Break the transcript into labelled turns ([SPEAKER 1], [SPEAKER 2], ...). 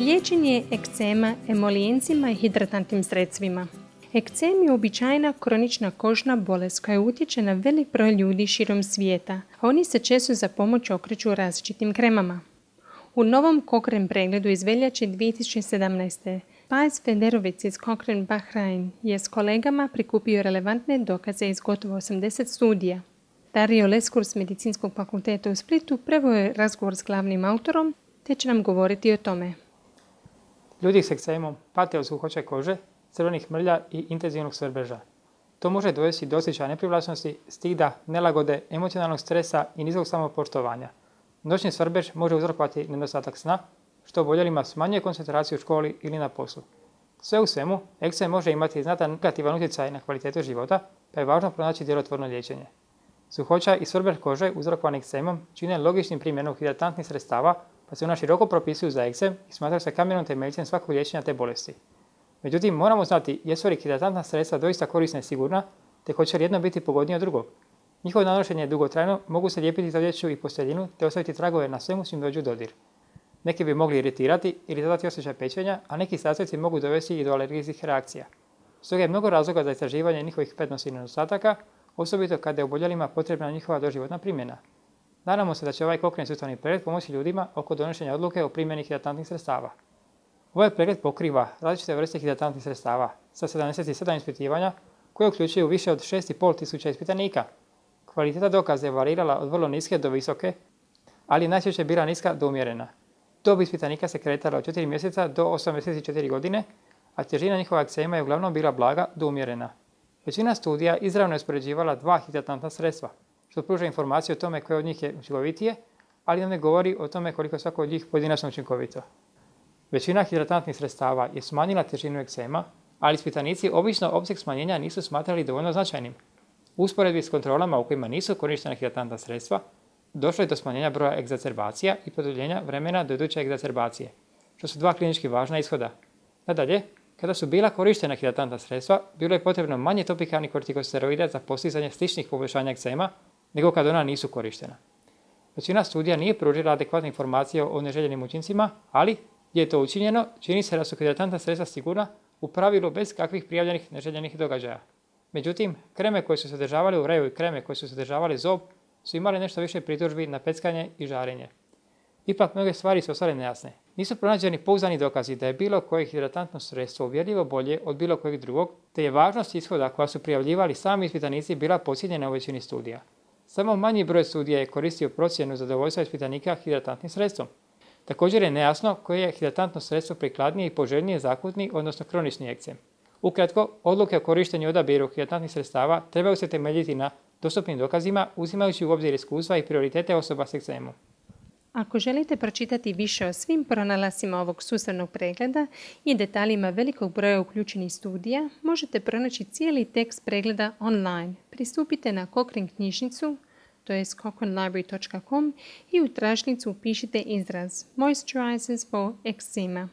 [SPEAKER 1] Liječenje ekcema emolijencima i hidratantnim sredstvima. Ekcem je uobičajena kronična kožna bolest koja utječe na velik broj ljudi širom svijeta, a oni se često za pomoć okreću različitim kremama. U novom Cochrane pregledu iz veljače 2017. Pais Federovic iz Cochrane Bahrain je s kolegama prikupio relevantne dokaze iz gotovo 80 studija. Dario Leskur s Medicinskog fakulteta u Splitu preveo je razgovor s glavnim autorom, te će nam govoriti o tome.
[SPEAKER 2] Ljudi s ekcemom pate od suhoće kože, crvenih mrlja i intenzivnog svrbeža. To može dovesti do osjećaja neprivlačnosti, stida, nelagode, emocionalnog stresa i niskog samopoštovanja. Noćni svrbež može uzrokovati nedostatak sna, što oboljelima smanjuje koncentraciju u školi ili na poslu. Sve u svemu, ekcem može imati znatan negativan utjecaj na kvalitetu života, pa je važno pronaći djelotvorno liječenje. Suhoća i svrbež kože uzrokovani ekcemom čine logičnim primjenom hidratantnih sredstava, pa se ona široko propisuju za ekcem i smatraju se kamenom temeljcem svakog liječenja te bolesti. Međutim, moramo znati jesu li hidratantna sredstva doista korisna i sigurna, te hoće li jedno biti pogodnije od drugog. Njihovo nanošenje je dugotrajno, mogu se lijepiti za odjeću i posteljinu te ostaviti tragove na svemu s čim dođu u dodir. Neki bi mogli iritirati ili dodati osjećaj pečenja, a neki sastojci mogu dovesti i do alergijskih reakcija. Stoga je mnogo razloga za istraživanje njihovih prednosti i nedostataka, osobito kada je oboljelima potrebna njihova doživotna primjena. Nadamo se da će ovaj Cochrane sustavni pregled pomoći ljudima oko donošenja odluke o primjeni hidratantnih sredstava. Ovaj pregled pokriva različite vrste hidratantnih sredstava sa 77 ispitivanja koje uključuju više od 6.500 ispitanika. Kvaliteta dokaza je varirala od vrlo niske do visoke, ali najčešće bila niska do umjerena. Dob ispitanika se kretala od 4 mjeseca do 84 godine, a težina njihova ekcema je uglavnom bila blaga do umjerena. Većina studija izravno je uspoređivala dva hidratantna sredstva, što pruža informaciju o tome koje od njih je učinkovitije, ali ne govori o tome koliko svako od njih pojedinačno učinkovito. Većina hidratantnih sredstava je smanjila težinu ekcema, ali ispitanici obično opseg smanjenja nisu smatrali dovoljno značajnim. U usporedbi s kontrolama u kojima nisu korištena hidratantna sredstva, došlo je do smanjenja broja egzacerbacija i produljenja vremena do iduće egzacerbacije, što su dva klinički važna ishoda. Nadalje, kada su bila korištena hidratantna sredstva, bilo je potrebno manje topikalnih kortikosteroida za postizanje sličnih poboljšanja ekcema nego kada ona nisu korištena. Većina studija nije pružila adekvatne informacije o neželjenim učincima, ali gdje je to učinjeno, čini se da su hidratantna sredstva sigurna u pravilu bez kakvih prijavljenih neželjenih događaja. Međutim, kreme koje su sadržavale ureju i kreme koje su sadržavale zob su imale nešto više pritužbi na peckanje i žarenje. Ipak mnoge stvari su ostale nejasne. Nisu pronađeni pouzdani dokazi da je bilo koje hidratantno sredstvo uvjerljivo bolje od bilo kojeg drugog, te je važnost ishoda koja su prijavljivali sami ispitanici bila podcijenjena u većini studija. Samo manji broj studija je koristio procjenu zadovoljstva ispitanika hidratantnim sredstvom. Također je nejasno koje je hidratantno sredstvo prikladnije i poželjnije za akutni, odnosno kronični ekcem. Ukratko, odluke o korištenju i odabiru hidratantnih sredstava trebaju se temeljiti na dostupnim dokazima, uzimajući u obzir iskustva i prioritete osoba s ekcemom.
[SPEAKER 1] Ako želite pročitati više o svim pronalascima ovog sustavnog pregleda i detaljima velikog broja uključenih studija, možete pronaći cijeli tekst pregleda online. Pristupite na Cochrane knjižnicu, to je cochranelibrary.com, i u tražnicu upišite izraz Moisturizers for Eczema.